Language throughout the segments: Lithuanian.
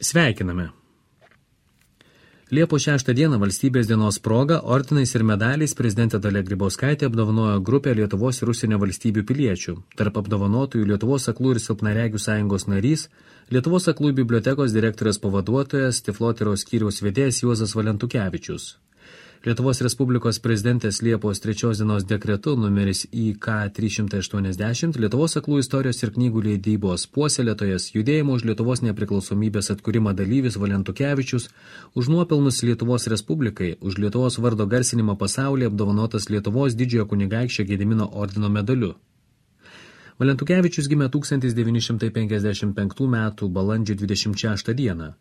Sveikiname. Liepos 6 dieną valstybės dienos proga ordinais ir medaliais prezidentė Dalia Grybauskaitė apdovanojo grupę Lietuvos ir užsienio valstybių piliečių. Tarp apdovanotųjų Lietuvos aklųjų ir silpnaregių sąjungos narys, Lietuvos aklųjų bibliotekos direktorės pavaduotojas, Tiflotyros skyriaus vedėjas Juozas Valentukevičius. Lietuvos Respublikos prezidentės Liepos 3 dienos dekretu numeris IK 380 Lietuvos aklųjų istorijos ir knygų leidybos puoselėtojas, judėjimo už Lietuvos nepriklausomybės atkūrimą dalyvis Valentukevičius už nuopelnus Lietuvos Respublikai, už Lietuvos vardo garsinimą pasaulyje apdovanotas Lietuvos didžiojo kunigaikščio Gedimino ordino medaliu. Valentukevičius gimė 1955 m. balandžio 26 dieną.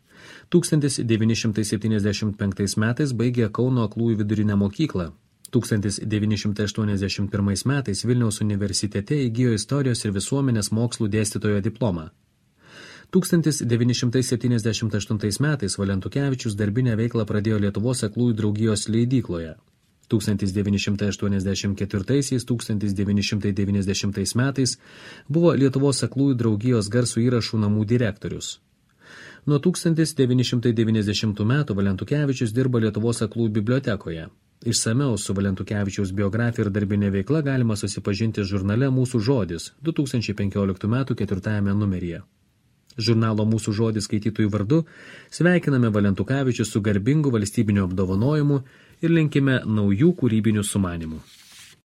1975 metais baigė Kauno aklųjų vidurinę mokyklą. 1981 metais Vilniaus universitete įgijo istorijos ir visuomenės mokslų dėstytojo diplomą. 1978 metais Valentukevičius darbinę veiklą pradėjo Lietuvos aklųjų draugijos leidykloje. 1984–1990 metais buvo Lietuvos aklųjų draugijos garsų įrašų namų direktorius. Nuo 1990 metų Valentukevičius dirba Lietuvos aklųjų bibliotekoje. Išsamiau su Valentukevičiaus biografija ir darbinė veikla galima susipažinti žurnale Mūsų žodis 2015 metų 4 numeryje. Žurnalo Mūsų žodis skaitytojų vardu sveikiname Valentukevičius su garbingu valstybiniu apdovanojimu ir linkime naujų kūrybinių sumanymų.